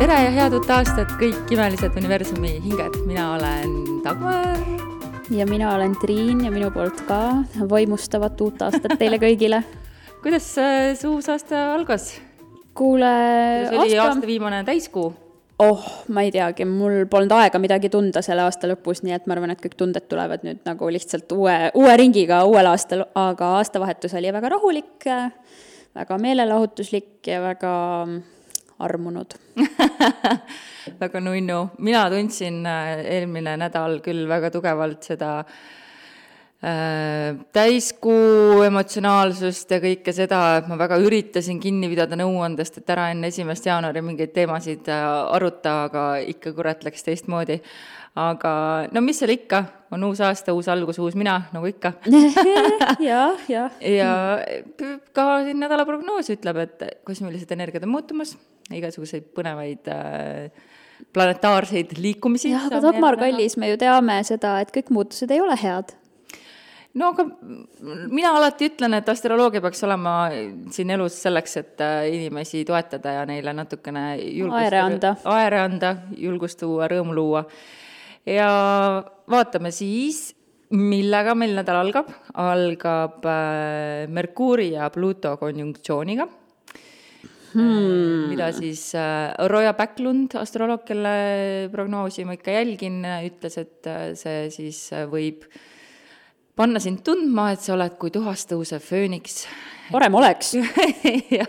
Tere ja head uut aastat kõik imelised universumi hinged. Mina olen Dagmar. Ja mina olen Triin ja minu poolt ka vaimustavat uut aastat teile kõigile. Kuidas see uus aasta algas? Kuule, See oli aasta viimane täiskuu. Ma ei teagi, mul polnud aega midagi tunda selle aasta lõpus, nii et ma arvan, et kõik tunded tulevad nüüd nagu lihtsalt uue ringiga uuel aastal, aga aastavahetus oli väga rahulik, väga meelelahutuslik ja väga armunud. Väga nunnu. Mina tundsin eelmine nädal küll väga tugevalt seda täiskuu emotsionaalsust ja kõike seda, et ma väga üritasin kinni pidada nõuandest, et ära enne 1. jaanuari mingeid teemasid aruta, aga ikka kurat läks teistmoodi. Aga no mis seal ikka, on uus aasta, uus algus, uus mina, nagu ikka. Ja ka siin nädala prognoos ütleb, et kosmilised energiad on muutumas, igasuguseid põnevaid planetaarseid liikumisi. Ja, aga Dagmar kallis, me ju teame seda, et kõik muutused ei ole head. No aga mina alati ütlen, et astroloogia peaks olema siin elus selleks, et inimesi toetada ja neile natukene aere anda, julgust tuua, rõõmu luua. Ja vaatame siis, millega meil nädal algab. Algab Merkuuri ja Pluto konjunktsiooniga. Mida siis Roja Backlund, astroloog, kelle prognoosi ma ikka jälgin, ütles, et see siis võib panna sind tundma, et sa oled kui tuhast tõusev fööniks. Parem oleks. Ja,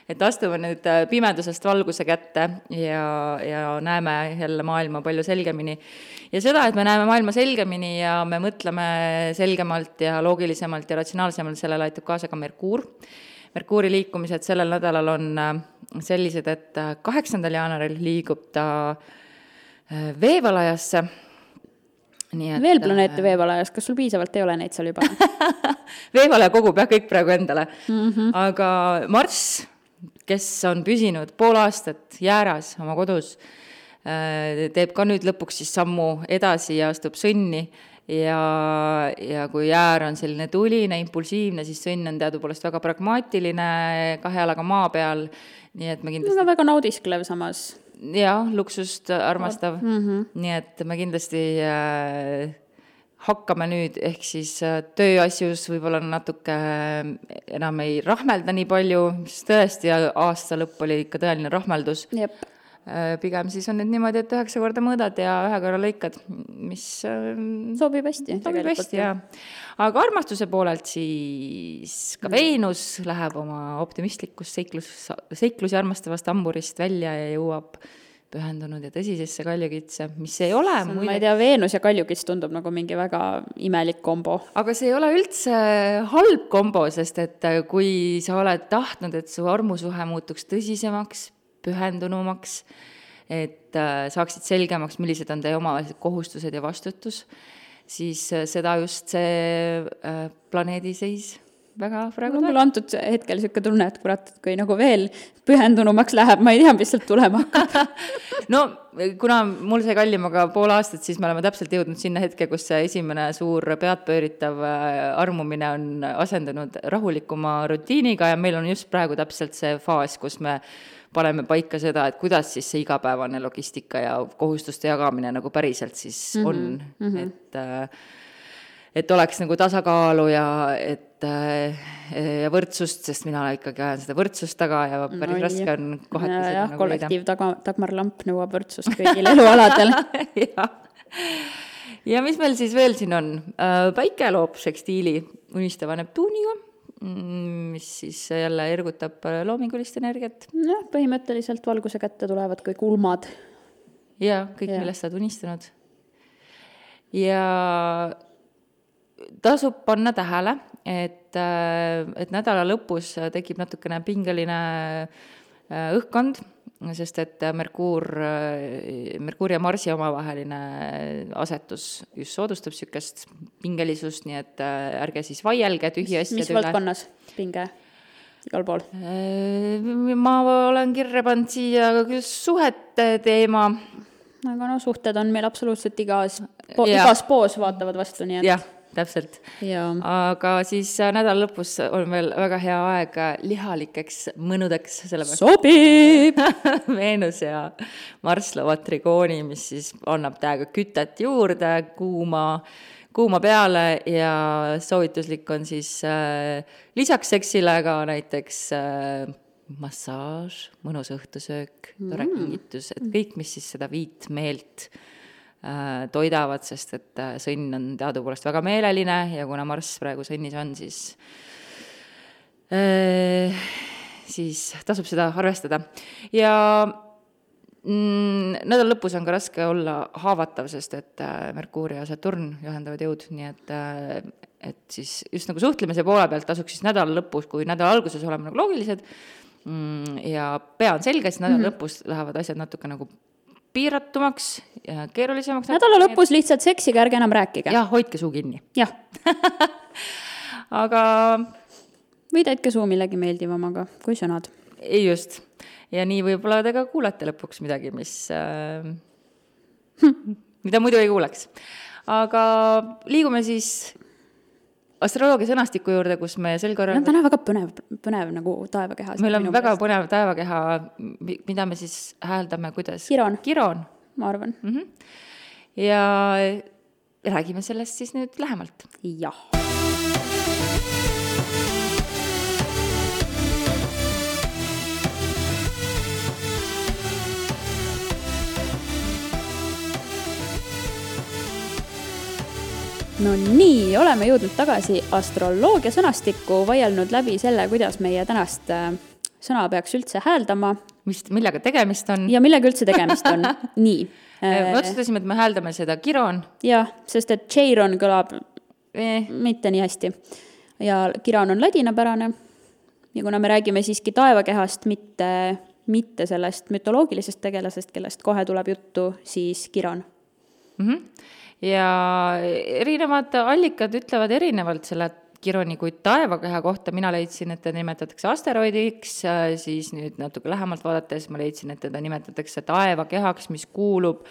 et astume nüüd pimedusest valguse kätte ja näeme jälle maailma palju selgemini. Ja seda, et me näeme maailma selgemini ja me mõtleme selgemalt ja loogilisemalt ja ratsionaalsemalt, sellele aitab kaasa ka Merkuur. Merkuuri liikumised sellel nädalal on sellised, et 8. jaanuaril liigub ta veevalajasse. Veel planeete veevalajas, kas sul piisavalt ei ole neid seal juba? Veevalaja kogub kõik praegu endale. Aga Marss, kes on püsinud pool aastat jääras oma kodus, teeb ka nüüd lõpuks siis sammu edasi ja astub sõnni. Ja kui jäär on selline tuline, impulsiivne, siis sõnn on teadupoolest väga pragmaatiline, 2 jalaga maa peal. Nii et me kindlasti... väga naudisklev samas. Ja, luksust armastav. Nii et me kindlasti hakkame nüüd, ehk siis tööasjus võib-olla natuke enam ei rahmelda nii palju, sest tõesti aasta lõpp oli ikka tõeline rahmeldus. Jep. Pigem siis on nüüd niimoodi, et 9 korda mõõdad ja 1 korra lõikad, mis sobib hästi. Ja. Aga armastuse poolelt siis ka Veenus läheb oma optimistlikust seiklusi armastavast amburist välja ja jõuab pühendunud ja tõsisesse kaljukitse, mis ei ole... Ma ei tea, Veenus ja kaljukits tundub nagu mingi väga imelik kombo. Aga see ei ole üldse halb kombo, sest et kui sa oled tahtnud, et su armusuhe muutuks tõsisemaks, pühendunumaks, et saaksid selgemaks, millised on teie omavahelised kohustused ja vastutus, siis seda just see planeediseis väga praegu mul antud hetkel selline tunne, et kurat, et kui nagu veel pühendunumaks läheb, ma ei tea, mis sealt tulema hakkab. No, kuna mul see kallimaga pool aastat, siis me oleme täpselt jõudnud sinna hetke, kus see esimene suur peadpööritav armumine on asendunud rahulikuma rutiiniga ja meil on just praegu täpselt see faas, kus me paneme paika seda, et kuidas siis see igapäevane logistika ja kohustuste jagamine nagu päriselt siis on. Et oleks nagu tasakaalu ja võrdsust, sest mina ikkagi ajan seda võrdsust taga ja päris raske on kohati seda nagu kollektiiv Dagmar Lamp nõuab võrdsust kõigil elualadel. Ja mis meil siis veel siin on? Päike loob sekstiili unistava Neptuuniga, mis siis jälle ergutab loomingulist energiat. Ja, põhimõtteliselt valguse kätte tulevad kõik ulmad. Ja, kõik millest saad unistanud. Ja tasub panna tähele, et nädala lõpus tekib natukene pingeline õhkkond, sest et Merkuuri ja Marsi omavaheline asetus just soodustab sükest pingelisust, nii et ärge siis vaielge tühja asjade üle. Mis valdkonnas pinge? Igal pool? Ma olen kirja pannud siia suhete teema. Aga suhted on meil absoluutselt igas poos vaatavad vastu, nii et... Ja. täpselt. Jaa. Aga siis nädala lõpus on veel väga hea aeg lihalikeks mõnudeks, sellepärast Sobib! Veenus ja Marss loovad trigooni, mis siis annab täiega kütet juurde, kuuma peale ja soovituslik on siis lisaks seksile ka näiteks massaaž, mõnus õhtusöök, tore kingitus, et kõik, mis siis seda viitmeelt toidavad, sest et sõnn on teadupoolest väga meeleline ja kuna Marss praegu sõnnis on, siis tasub seda arvestada. Ja nädal lõpus on ka raske olla haavatav, sest et Merkuur ja Saturn juhendavad jõud, nii et siis just nagu suhtlemise poole pealt tasuks siis nädala lõpus, kui nädala alguses oleme nagu loogilised ja pea on selge, siis nädala lõpus lähevad asjad natuke nagu piiratumaks ja keerulisemaks. Nädala lõpus lihtsalt seksige, ärge enam rääkige. Jah, hoidke suu kinni. Jah. Aga või täitke suu millegi meeldivamaga kui sõnad. Ei just. Ja nii võib-olla te ka kuulete lõpuks midagi, mida muidu ei kuuleks. Aga liigume siis astroloogia sõnastiku juurde, kus me sel korral... No täna väga põnev nagu taevakehas. Meil on väga põnev taevakeha, mida me siis hääldame, kuidas? Kiron. Ma arvan. Ja räägime sellest siis nüüd lähemalt. Jah. No nii, oleme jõudnud tagasi astroloogia sõnastikku, vaielnud läbi selle, kuidas meie tänast sõna peaks üldse hääldama. Millega tegemist on? Ja millega üldse tegemist on. Nii. Me otsustasime, et me hääldame seda kiron. Jah, sest et cheiron kõlab mitte nii hästi. Ja kiron on ladinapärane. Ja kuna me räägime siiski taevakehast, mitte sellest mütoloogilisest tegelasest, kellest kohe tuleb juttu, siis kiron. Ja erinevad allikad ütlevad erinevalt selle kironi kui taevakeha kohta. Mina leidsin, et teda nimetatakse asteroidiks, siis nüüd natuke lähemalt vaadates ma leidsin, et teda nimetatakse taevakehaks, mis kuulub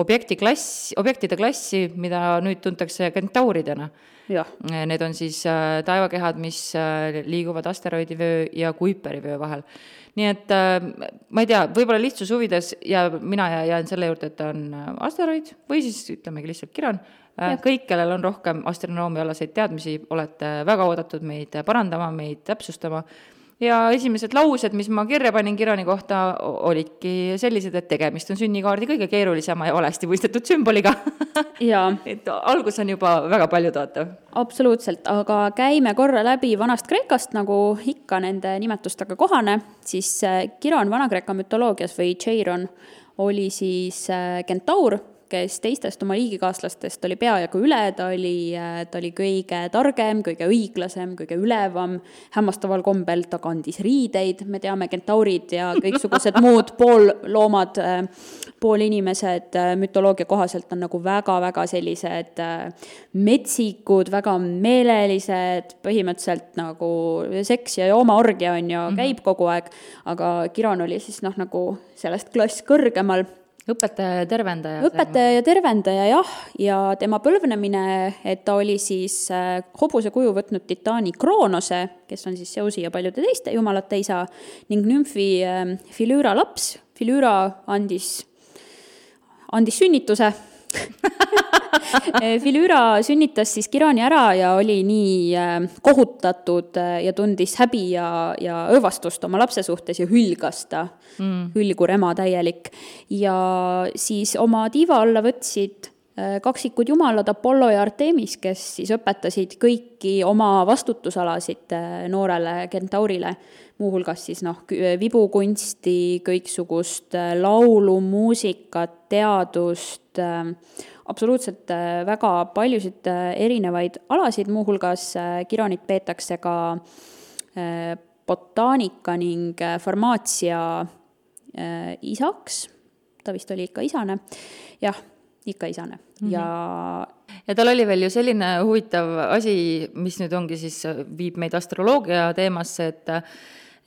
objektide klassi, mida nüüd tuntakse kentauridena. Ja. Need on siis taevakehad, mis liiguvad asteroidivöö ja Kuiperivöö vahel. Nii et ma ei tea, võib-olla lihtsus huvides ja mina jään selle juurde, et on asteroid või siis ütlemegi lihtsalt kiron. Kõik, kellel on rohkem astronoomia alaseid teadmisi, olete väga oodatud meid parandama, meid täpsustama. Ja esimesed laused, mis ma kirja panin kironi kohta, olidki sellised, et tegemist on sünnikaardi kõige keerulisema ja valesti mõistetud sümboliga. Ja. Et algus on juba väga palju tootav. Absoluutselt, aga käime korra läbi vanast Kreekast, nagu ikka nende nimetustega kohane, siis kiron Vana-Kreeka mütoloogias või cheiron oli siis kentaur, kes teistest oma liigikaaslastest oli peajagu üle, ta oli kõige targem, kõige õiglasem, kõige ülevam, hämmastaval kombel ta kandis riideid, me teame kentaurid ja kõiksugused muud poolloomad, poolinimesed mütoloogia kohaselt on nagu väga-väga sellised metsikud, väga meelelised, põhimõtteliselt nagu seks ja joomaorgia on ju, käib kogu aeg, aga kiron oli siis nagu sellest klass kõrgemal. Õpetaja ja tervendaja, jah, ja tema põlvnemine, et ta oli siis hobuse kuju võtnud titaani Kroonose, kes on siis Zeusi ja paljude teiste jumalate isa, ning nümfi Filüüra laps. Filüüra andis sünnituse. Filüüra sünnitas siis kironi ära ja oli nii kohutatud ja tundis häbi ja õõvastust oma lapse suhtes ja hülgas ta, hülgur ema täielik. Ja siis oma tiiva alla võtsid kaksikud jumalad Apollo ja Artemis, kes siis õpetasid kõiki oma vastutusalasid noorele kentaurile, muuhulgas siis vibukunsti, kõiksugust laulu, muusikat, teadust, absoluutselt väga paljusid erinevaid alasid, muuhulgas kironit peetakse ka botaanika ning farmaatsia isaks, ta vist oli ikka isane, jah, ikka isane. Ja tal oli veel ju selline huvitav asi, mis nüüd ongi siis, viib meid astroloogia teemasse,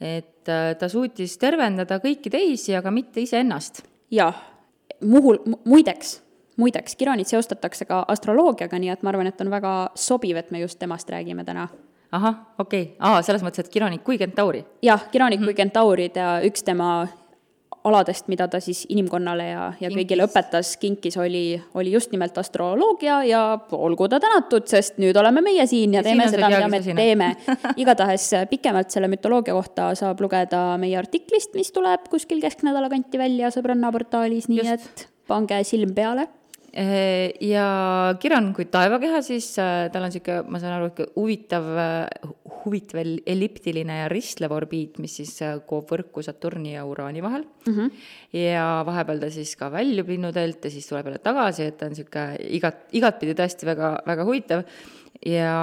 et ta suutis tervendada kõiki teisi, aga mitte ise ennast. Jah, muideks, muideks, Kironit seostatakse ka astroloogiaga, nii et ma arvan, et on väga sobiv, et me just temast räägime täna. ahah, okei. Selles mõttes, et Kironik kui kentauri? Jah, Kironik kui kentaurid ja üks tema aladest, mida ta siis inimkonnale ja kõigile õpetas, kinkis oli just nimelt astroloogia ja olgu ta tänatud, sest nüüd oleme meie siin ja teeme seda, mida me teeme. Igatahes pikemalt selle mütoloogia kohta saab lugeda meie artiklist, mis tuleb kuskil kesknädala kanti välja Sõbranna portaalis, nii et pange silm peale. Ja Kiron kui taevakeha, siis tal on siuke, ma saan aru, huvitav elliptiline ja ristlev orbiit, mis siis koob võrku Saturni ja Uraani vahel. Ja vahepeal ta siis ka väljub linnuteelt ja siis tuleb jälle tagasi, et ta on siuke igatpidi tõesti väga, väga huvitav. Ja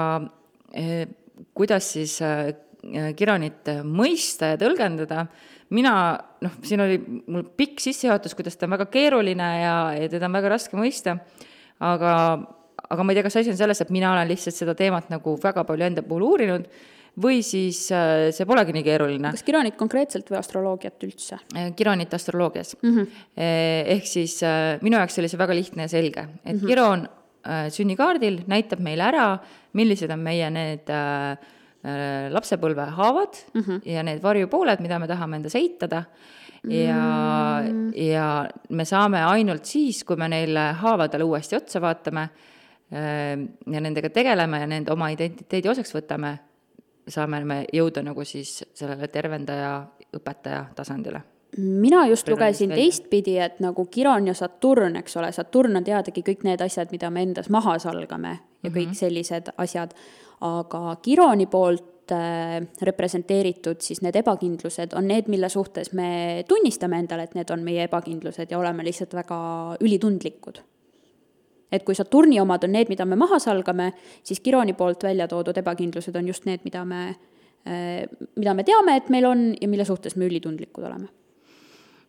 kuidas siis Kironit mõista ja tõlgendada, siin oli mul pikk sissejuhatus, kuidas ta on väga keeruline ja teda on väga raske mõista, aga ma ei tea, kas asi on selles, et mina olen lihtsalt seda teemat nagu väga palju enda puhul uurinud või siis see polegi nii keeruline. Kas Kironit konkreetselt või astroloogiat üldse? Kironit astroloogias. Ehk siis minu jaoks oli see väga lihtne ja selge, et Kiron sünnikaardil näitab meile ära, millised on meie need lapsepõlve haavad ja need varjupooled, mida me tahame endas eitada ja me saame ainult siis, kui me neile haavadele uuesti otsa vaatame ja nendega tegeleme ja nende oma identiteedi osaks võtame, saame me jõuda nagu siis sellele tervendaja, õpetaja tasandile. Mina just lugesin teistpidi, et nagu Kiron ja Saturn, eks ole, Saturn on teadagi kõik need asjad, mida me endas maha salgame ja kõik sellised asjad, aga Kironi poolt representeeritud siis need ebakindlused on need, mille suhtes me tunnistame endale, et need on meie ebakindlused ja oleme lihtsalt väga ülitundlikud. Et kui Saturni omad on need, mida me maha salgame, siis Kironi poolt välja toodud ebakindlused on just need, mida me teame, et meil on ja mille suhtes me ülitundlikud oleme.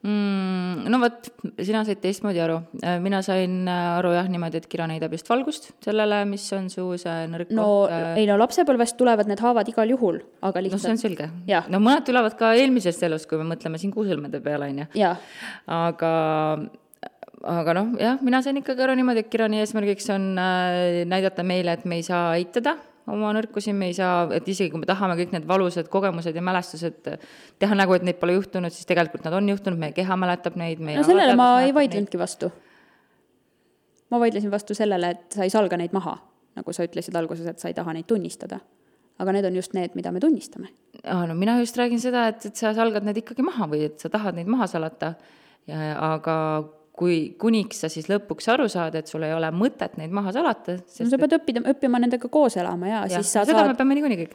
No võt, sina said teistmoodi aru. Mina sain aru niimoodi, et Kiron heidab just valgust sellele, mis on su see nõrk koht. Lapsepõlvest tulevad need haavad igal juhul, aga lihtsalt... see on selge. No mõned tulevad ka eelmisest elust, kui me mõtleme siin kuusõlmede peale, on ju. Aga mina sain ikkagi aru niimoodi, et Kironi eesmärgiks on näidata meile, et me ei saa eitada oma nõrkusi, me ei saa, et isegi kui me tahame kõik need valusad kogemused ja mälestused teha nagu, et neid pole juhtunud, siis tegelikult nad on juhtunud, meie keha mäletab neid. Sellele ma ei vaidlenudki vastu. Ma vaidlesin vastu sellele, et sa ei salga neid maha, nagu sa ütlesid alguses, et sa ei taha neid tunnistada. Aga need on just need, mida me tunnistame. Mina just räägin seda, et sa salgad need ikkagi maha või et sa tahad neid maha salata, aga kuniks sa siis lõpuks aru saad, et sul ei ole mõtet neid maha salata. Sa pead õppima nendega koos elama ja siis sa seda saad me peame niikuinii kõik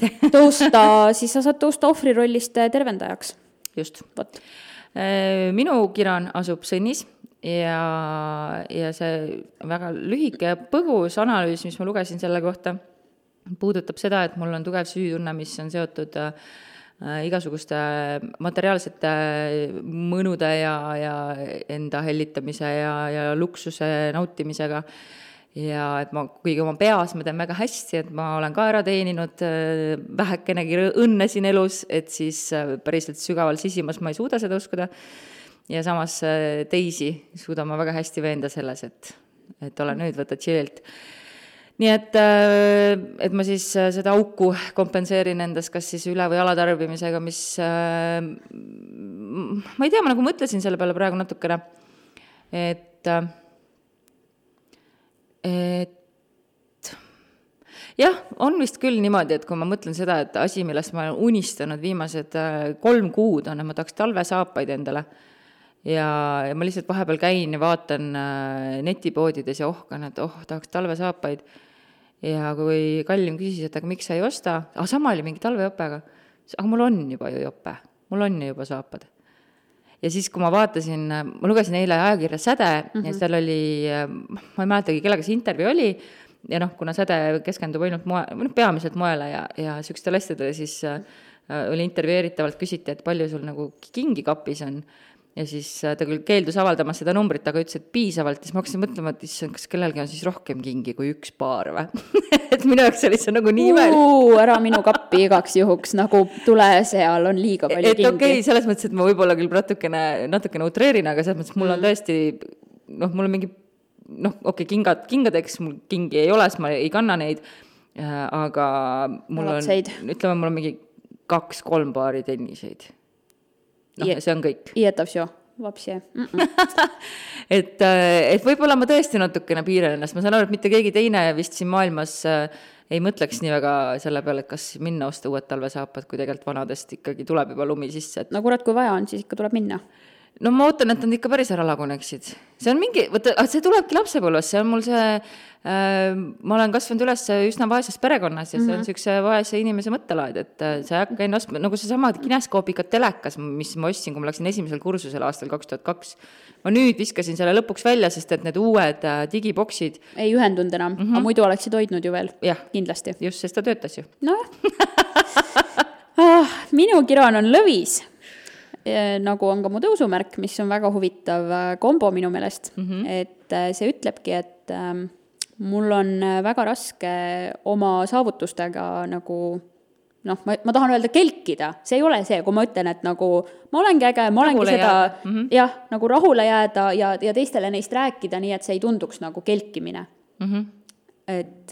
siis sa saad tõusta ohvrirollist tervendajaks. Just. Minu Kiron asub Sõnnis ja see väga lühike ja põgus analüüs, mis ma lugesin selle kohta, puudutab seda, et mul on tugev süütunne, mis on seotud igasuguste materiaalsete mõnude ja enda hellitamise ja luksuse nautimisega. Ja et ma kuigi oma peas ma teen väga hästi, et ma olen ka ära teeninud vähekenegi õnne siin elus, et siis päriselt sügaval sisimas ma ei suuda seda uskuda. Ja samas teisi suudan ma väga hästi veenda selles, et ole nüüd, võta chillilt. Nii et ma siis seda auku kompenseerin endas kas siis üle- või alatarbimisega, mis ma ei tea, ma nagu mõtlesin selle peale praegu natukene, et jah, on vist küll niimoodi, et kui ma mõtlen seda, et asi, millest ma olen unistanud viimased 3 kuud on, et ma tahaks talvesaapaid endale ja ma lihtsalt vahepeal käin ja vaatan netipoodides ja ohkan, et tahaks talvesaapaid. Ja kui Kallim küsis, et aga miks sa ei osta, sama oli mingi talvejoppega, aga mul on juba ju joppe, mul on juba saapad. Ja siis, kui ma vaatasin, ma lugesin eile ajakirja Säde ja seal oli, ma ei mäletagi, kellega see intervjuu oli ja kuna Säde keskendub ainult peamiselt moele ja sükstele asjadele, siis oli intervjueeritavalt küsiti, et palju sul nagu kingi kapis on. Ja siis ta küll keeldus avaldamas seda numbrit, aga ütles, et piisavalt. Ja siis ma hakkasin mõtlema, et kas kellelgi on siis rohkem kingi kui 1 paar või? Et minu jaoks oli see nagu nii imelik. Ära minu kappi igaks juhuks, nagu tule seal on liiga palju kingi. Okei, selles mõttes, et ma võib-olla küll natukene utreerin, aga selles mõttes, mul on tõesti, mul on mingi kingadeks mul kingi ei ole, sest ma ei kanna neid, aga mul Jalatseid. ütleme, mul on mingi 2-3 paari tenniseid. Ja see on kõik. I это всё. Vapsi. et võib-olla ma tõesti natukene piiran ennast, ma saan aru, et mitte keegi teine vist siin maailmas ei mõtleks nii väga selle peale, et kas minna osta uued talvesaapad, kui tegelikult vanadest ikkagi tuleb juba lumi sisse. No kurat, kui vaja on, siis ikka tuleb minna. No ma ootan, et nad ikka päris ära laguneksid. See on mingi, see tulebki lapsepõlves, see on mul see, ma olen kasvanud üles üsna vaeses perekonnas ja see on sükse vaese inimese mõttelaad, et see hakka enne ostma, nagu see sama kineskoopika telekas, mis ma ostsin, kui ma läksin esimesel kursusel aastal 2002. Ma nüüd viskasin selle lõpuks välja, sest et need uued digiboksid ei ühendunud enam, aga muidu oleksid hoidnud ju veel. Jah, kindlasti. Just, sest ta töötas ju. Nojah. Minu kiron on lõvis. Nagu on ka mu tõusumärk, mis on väga huvitav kombo minu meelest, et see ütlebki, et mul on väga raske oma saavutustega nagu, ma tahan öelda kelkida, see ei ole see, kui ma ütlen, et nagu ma olengi äge, ma olengi rahule seda, jah, nagu rahule jääda ja teistele neist rääkida, nii et see ei tunduks nagu kelkimine. Et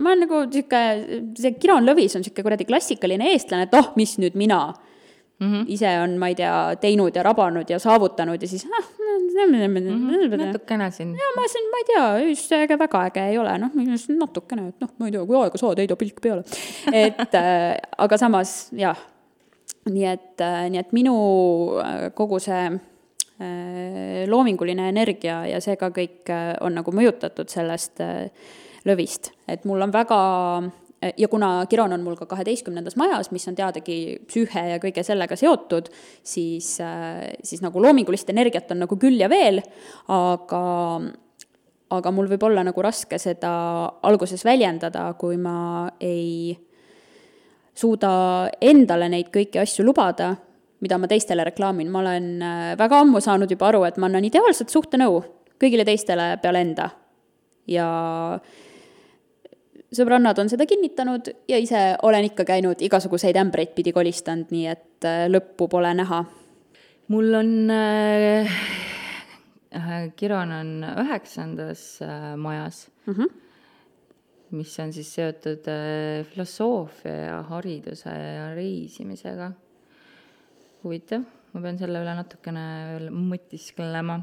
ma olen nagu see kiron lõvis on siuke kuradi klassikaline eestlane, et mis nüüd mina ise on, ma ei tea, teinud ja rabanud ja saavutanud ja siis natukene siin. Ja ma ei tea, just äge väga äge ei ole, natukene, et ma ei tea, kui aega saad, heida pilk peale. Et, aga samas, jah, nii et minu kogu see loominguline energia ja see ka kõik on nagu mõjutatud sellest lõvist, et mul on väga. Ja kuna kiron on mul ka 12. majas, mis on teadagi psüühe ja kõige sellega seotud, siis nagu loomingulist energiat on nagu küll ja veel, aga mul võib olla nagu raske seda alguses väljendada, kui ma ei suuda endale neid kõiki asju lubada, mida ma teistele reklaamin. Ma olen väga ammu saanud juba aru, et ma annan ideaalset suhtenõu kõigile teistele peale enda. Ja sõbrannad on seda kinnitanud ja ise olen ikka käinud igasuguseid ämbreid pidi kolistanud, nii et lõppu pole näha. Mul on, kiron on 9. majas, mis on siis seotud filosoofia ja hariduse ja reisimisega. Huvitav, ma pean selle üle natukene veel mõtisklema.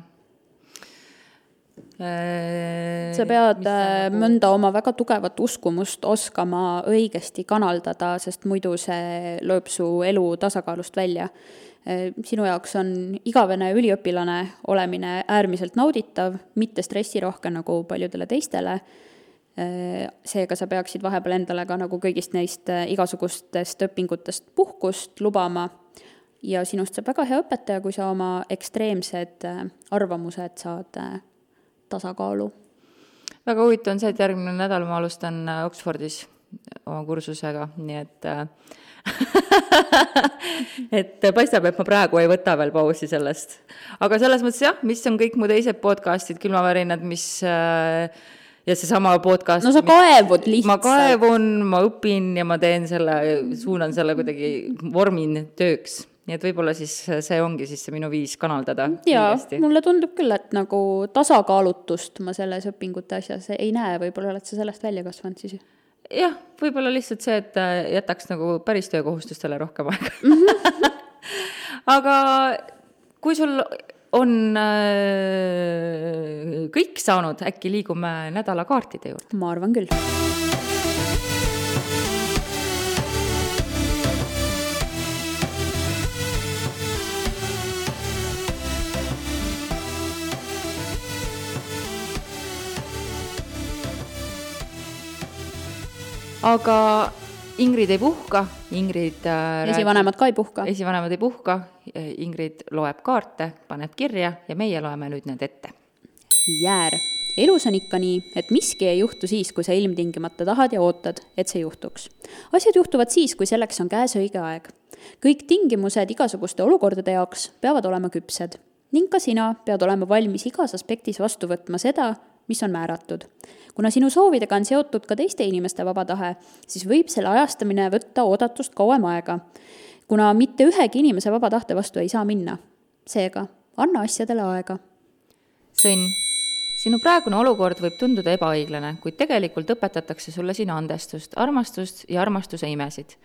Sa pead mõnda oma väga tugevat uskumust oskama õigesti kanaldada, sest muidu see lööb su elu tasakaalust välja. Sinu jaoks on igavene üliõpilane olemine äärmiselt nauditav, mitte stressirohke nagu paljudele teistele. Seega sa peaksid vahepeal endale ka nagu kõigist neist igasugustest õpingutest puhkust lubama ja sinust saab väga hea õpetaja, kui sa oma ekstreemsed arvamused saad tasakaalu. Väga huvitav on see, et järgmine nädal ma alustan Oxfordis oma kursusega, nii et paistab, et ma praegu ei võta veel pausi sellest. Aga selles mõttes jah, mis on kõik mu teised podcastid, külmavärinad, mis ja see sama podcast. No sa kaevud lihtsalt. Ma kaevun, ma õpin ja ma teen selle, suunan selle kuidagi vormin tööks. Nii et võib-olla siis see ongi siis see minu viis kanaldada. Jaa, mulle tundub küll, et nagu tasakaalutust ma selles õpingute asjas ei näe, võib-olla oled sa sellest välja kasvanud siis. Jah, võib-olla lihtsalt see, et jätaks nagu päris töökohustustele rohkem aega. Aga kui sul on kõik saanud, äkki liigume nädalakaartide juurde? Ma arvan küll. Aga Ingrid ei puhka, Ingrid esivanemad ka ei puhka. Esivanemad ei puhka, Ingrid loeb kaarte, paneb kirja ja meie loeme nüüd need ette. Jäär. Elus on ikka nii, et miski ei juhtu siis, kui sa ilmtingimata tahad ja ootad, et see juhtuks. Asjad juhtuvad siis, kui selleks on käes õige aeg. Kõik tingimused igasuguste olukordade jaoks peavad olema küpsed. Ning ka sina pead olema valmis igas aspektis vastu võtma seda, mis on määratud. Kuna sinu soovidega on seotud ka teiste inimeste vaba tahe, siis võib selle ajastamine võtta oodatust kauem aega, kuna mitte ühegi inimese vaba tahte vastu ei saa minna. Seega, anna asjadele aega. Sõnn. sinu praegune olukord võib tunduda ebaõiglane, kuid tegelikult õpetatakse sulle siin andestust, armastust ja armastuse imesid.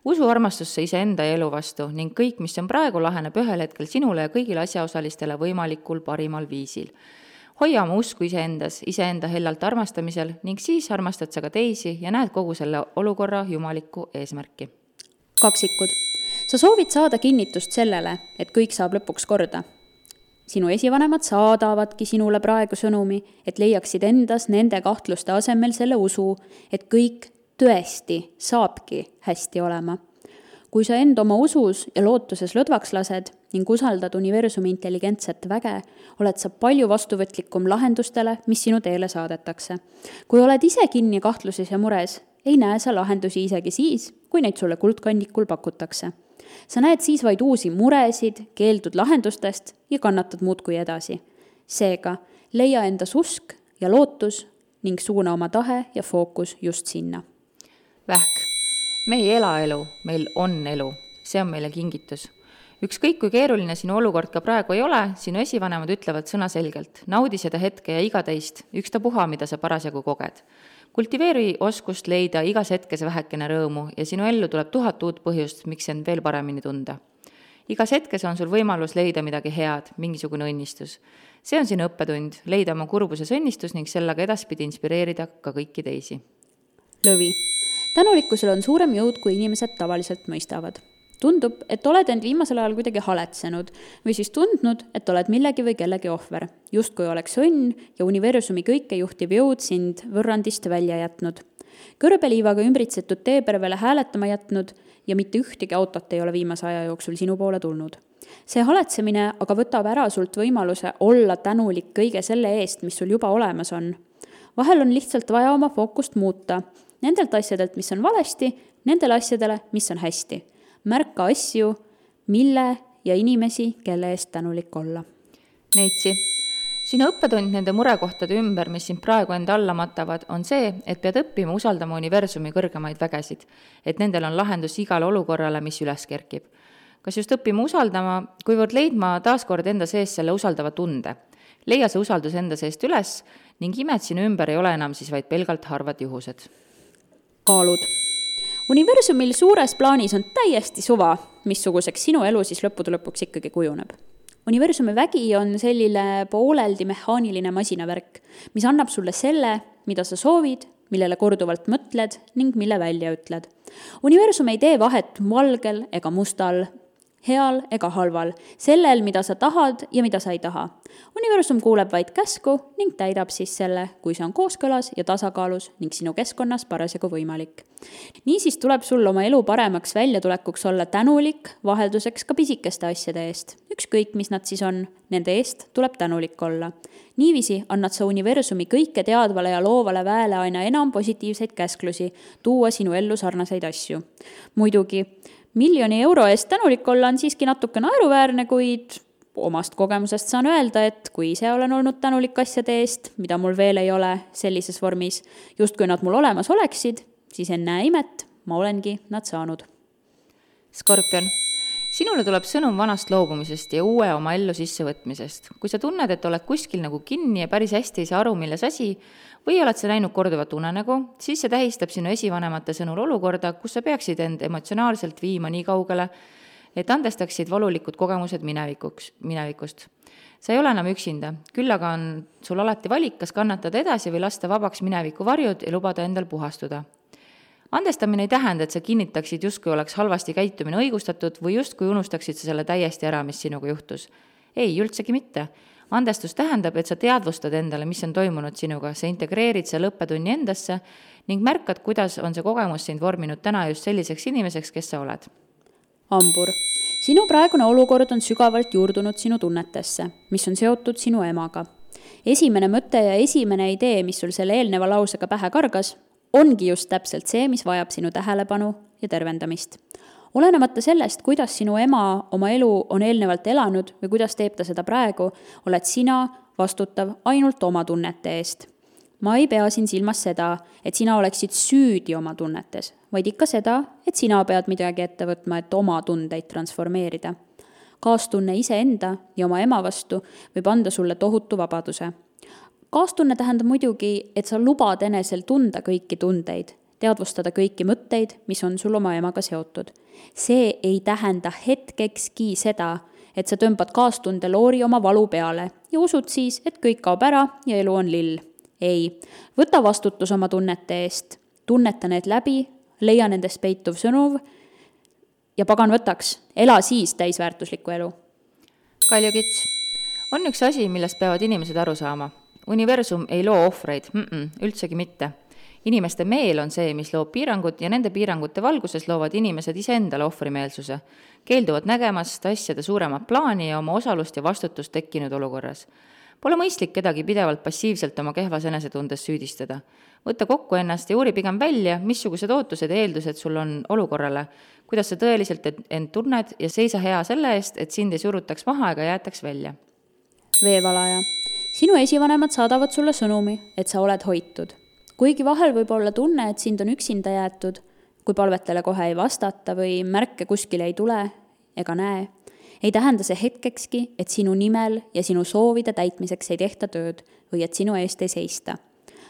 Usu armastusse iseenda ja elu vastu ning kõik, mis on praegu, laheneb ühel hetkel sinule ja kõigile asjaosalistele võimalikul parimal viisil. Hoia oma usku iseendas, iseenda hellalt armastamisel ning siis armastad sa ka teisi ja näed kogu selle olukorra jumalikku eesmärki. Kaksikud. Sa soovid saada kinnitust sellele, et kõik saab lõpuks korda. Sinu esivanemad saadavadki sinule praegu sõnumi, et leiaksid endas nende kahtluste asemel selle usu, et kõik tõesti saabki hästi olema. Kui sa end oma usus ja lootuses lõdvaks lased ning usaldad universumi intelligentset väge, oled sa palju vastuvõtlikum lahendustele, mis sinu teele saadetakse. Kui oled ise kinni kahtluses ja mures, ei näe sa lahendusi isegi siis, kui neid sulle kuldkandikul pakutakse. Sa näed siis vaid uusi muresid, keeldud lahendustest ja kannatad muudkui edasi. Seega, leia endas usk ja lootus ning suuna oma tahe ja fookus just sinna. Vähk. Me ei ela elu, meil on elu. See on meile kingitus. Ükskõik kui keeruline sinu olukord ka praegu ei ole, sinu esivanemad ütlevad sõna selgelt. Naudi seda hetke ja iga teist, ükstapuha, mida sa parasjagu koged. Kultiveeri oskust leida igas hetkes vähekene rõõmu ja sinu ellu tuleb 1000 uut põhjust, miks end veel paremini tunda. Igas hetkes on sul võimalus leida midagi head, mingisugune õnnistus. See on sinu õppetund, leida oma kurbuses õnnistus ning sellega edaspidi inspireerida ka kõiki teisi. Lõvi. Tänulikkusel on suurem jõud, kui inimesed tavaliselt mõistavad. Tundub, et oled end viimasel ajal kuidagi haletsenud või siis tundnud, et oled millegi või kellegi ohver. Just kui oleks õnn ja universumi kõike juhtiv jõud sind võrrandist välja jätnud. Kõrbeliivaga ümbritsetud teepervele hääletama jätnud ja mitte ühtegi autot ei ole viimase aja jooksul sinu poole tulnud. See haletsemine aga võtab ära sult võimaluse olla tänulik kõige selle eest, mis sul juba olemas on. Vahel on lihtsalt vaja oma fookust muuta. Nendelt asjadelt, mis on valesti, nendele asjadele, mis on hästi. Märka asju, mille ja inimesi, kelle eest tänulik olla. Neitsi. Sinu õppetund nende murekohtade ümber, mis sind praegu enda alla matavad, on see, et pead õppima usaldama universumi kõrgemaid vägesid, et nendel on lahendus igale olukorrale, mis üles kerkib. Kas just õppima usaldama, kuivõrd leidma taaskord enda sees selle usaldava tunde? Leia see usaldus enda seest üles ning imed sinu ümber ei ole enam siis vaid pelgalt harvad juhused. Kaalud. Universumil suures plaanis on täiesti suva, missuguseks sinu elu siis lõppude lõpuks ikkagi kujuneb. Universumi vägi on selline pooleldi mehaaniline masinavärk, mis annab sulle selle, mida sa soovid, millele korduvalt mõtled ning mille välja ütled. Universum ei tee vahet valgel ega mustal, heal ega halval, sellel, mida sa tahad ja mida sa ei taha. Universum kuuleb vaid käsku ning täidab siis selle, kui see on kooskõlas ja tasakaalus ning sinu keskkonnas parasjagu võimalik. Niisiis tuleb sul oma elu paremaks väljatulekuks olla tänulik, vahelduseks ka pisikeste asjade eest. Ükskõik, mis nad siis on, nende eest tuleb tänulik olla. Niiviisi annad sa universumi kõike teadvale ja loovale väele aina enam positiivseid käsklusi, tuua sinu ellu sarnaseid asju. Muidugi, 1 000 000 euro eest tänulik olla on siiski natuke naeruväärne, kuid omast kogemusest saan öelda, et kui ise olen olnud tänulik asjade eest, mida mul veel ei ole sellises vormis, just kui nad mul olemas oleksid, siis ennäe imet, ma olengi nad saanud. Skorpion. Sinule tuleb sõnum vanast loobumisest ja uue oma ellu sissevõtmisest. Kui sa tunned, et oled kuskil nagu kinni ja päris hästi ei saa aru, milles asi, või oled sa näinud korduvat unenägu, siis see tähistab sinu esivanemate sõnul olukorda, kus sa peaksid end emotsionaalselt viima nii kaugele, et andestaksid valulikud kogemused minevikust. Sa ei ole enam üksinda, küll aga on sul alati valik, kas kannatada edasi või lasta vabaks mineviku varjud ja lubada endal puhastuda. Andestamine ei tähenda, et sa kinnitaksid justkui oleks halvasti käitumine õigustatud või justkui unustaksid sa selle täiesti ära, mis sinuga juhtus. Ei, üldsegi mitte. Andestus tähendab, et sa teadvustad endale, mis on toimunud sinuga, sa integreerid selle õppetunni endasse ning märkad, kuidas on see kogemus sind vorminud täna just selliseks inimeseks, kes sa oled. Hambur. Sinu praegune olukord on sügavalt juurdunud sinu tunnetesse, mis on seotud sinu emaga. Esimene mõte ja esimene idee, mis sul selle eelneva lausega pähe kargas, ongi just täpselt see, mis vajab sinu tähelepanu ja tervendamist. Olenemata sellest, kuidas sinu ema oma elu on eelnevalt elanud või kuidas teeb ta seda praegu, oled sina vastutav ainult oma tunnete eest. Ma ei pea siin silmas seda, et sina oleksid süüdi oma tunnetes, vaid ikka seda, et sina pead midagi ette võtma, et oma tundeid transformeerida. Kaastunne iseenda ja oma ema vastu võib anda sulle tohutu vabaduse. Kaastunne tähendab muidugi, et sa lubad enesel tunda kõiki tundeid, teadvustada kõiki mõtteid, mis on sul oma emaga seotud. See ei tähenda hetkekski seda, et sa tõmbad kaastunde loori oma valu peale ja usud siis, et kõik kaob ära ja elu on lill. Ei, võta vastutus oma tunnete eest, tunneta need läbi, leia nendest peituv sõnuv ja pagan võtaks, ela siis täisväärtuslikku elu. Kalju Kits, on üks asi, millest peavad inimesed aru saama. Universum ei loo ohvreid, üldsegi mitte. Inimeste meel on see, mis loob piirangud ja nende piirangute valguses loovad inimesed iseendale ohvrimeelsuse. Keelduvad nägemast asjade suuremat plaani ja oma osalust ja vastutust tekkinud olukorras. Pole mõistlik kedagi pidevalt passiivselt oma kehvas enesetundes süüdistada. Võtta kokku ennast ja uuri pigem välja, missugused ootused ja eeldused sul on olukorrale, kuidas sa tõeliselt end tunned ja seisa hea selle eest, et sind ei surutaks maha ega jäetaks välja. Veevalaja. Sinu esivanemad saadavad sulle sõnumi, et sa oled hoitud. Kuigi vahel võib olla tunne, et sind on üksinda jäetud, kui palvetele kohe ei vastata või märke kuskile ei tule ega näe, ei tähenda see hetkekski, et sinu nimel ja sinu soovide täitmiseks ei tehta tööd või et sinu eest ei seista.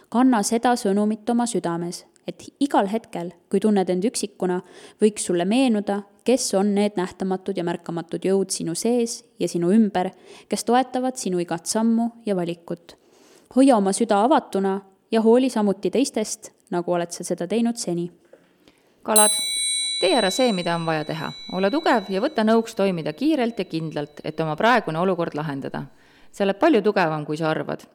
Kanna seda sõnumit oma südames, et igal hetkel, kui tunned end üksikuna, võiks sulle meenuda, kes on need nähtamatud ja märkamatud jõud sinu sees ja sinu ümber, kes toetavad sinu igat sammu ja valikut. Hoia oma süda avatuna ja hooli samuti teistest, nagu oled sa seda teinud seni. Kalad, tee ära see, mida on vaja teha. Ole tugev ja võta nõuks toimida kiirelt ja kindlalt, et oma praegune olukord lahendada. See oled palju tugevam, kui sa arvad.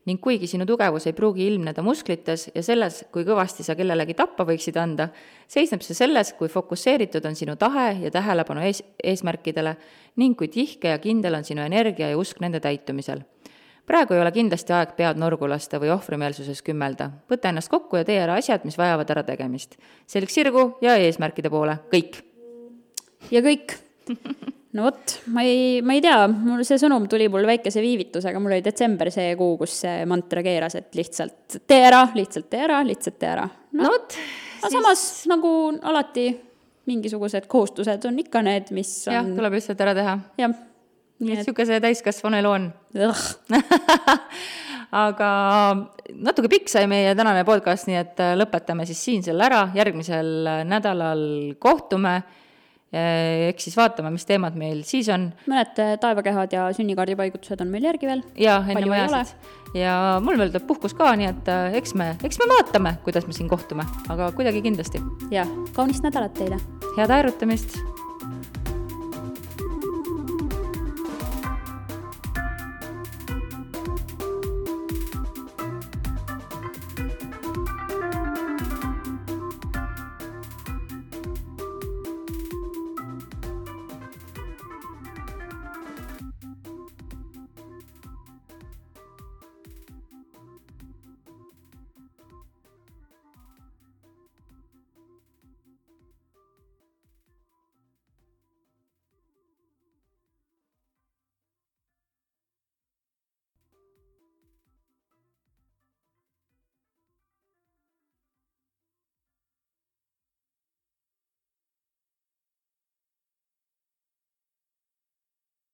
Ning kuigi sinu tugevus ei pruugi ilmneda musklites ja selles, kui kõvasti sa kellelegi tappa võiksid anda, seisneb see selles, kui fokusseeritud on sinu tahe ja tähelepanu eesmärkidele ning kui tihke ja kindel on sinu energia ja usk nende täitumisel. Praegu ei ole kindlasti aeg pead norgu lasta või ohvrimeelsuses kümmelda. Võta ennast kokku ja tee ära asjad, mis vajavad ära tegemist. Selg sirgu ja eesmärkide poole. Kõik. Ja kõik. No vot, ma ei tea, see sõnum tuli mul väikese viivitusega, mul oli detsember see kuu, kus see mantra keeras, et lihtsalt tee ära, lihtsalt tee ära, lihtsalt tee ära. No vot. Aga samas nagu alati mingisugused kohustused on ikka need, mis on... Jah, tuleb lihtsalt ära teha. Jah. Siuke see täiskasvanu elu on. Aga natuke pikk sai meie tänane podcast, nii et lõpetame siis siin selle ära. Järgmisel nädalal kohtume. Eks siis vaatame, mis teemad meil siis on. Mõned taevakehad ja sünnikaardipaigutused on meil järgi veel. Ja, enne majasid. Ja mul veel tuleb puhkus ka, nii et eks me vaatame, kuidas me siin kohtume. Aga kuidagi kindlasti. Ja, kaunist nädalat teile. Head aerutamist!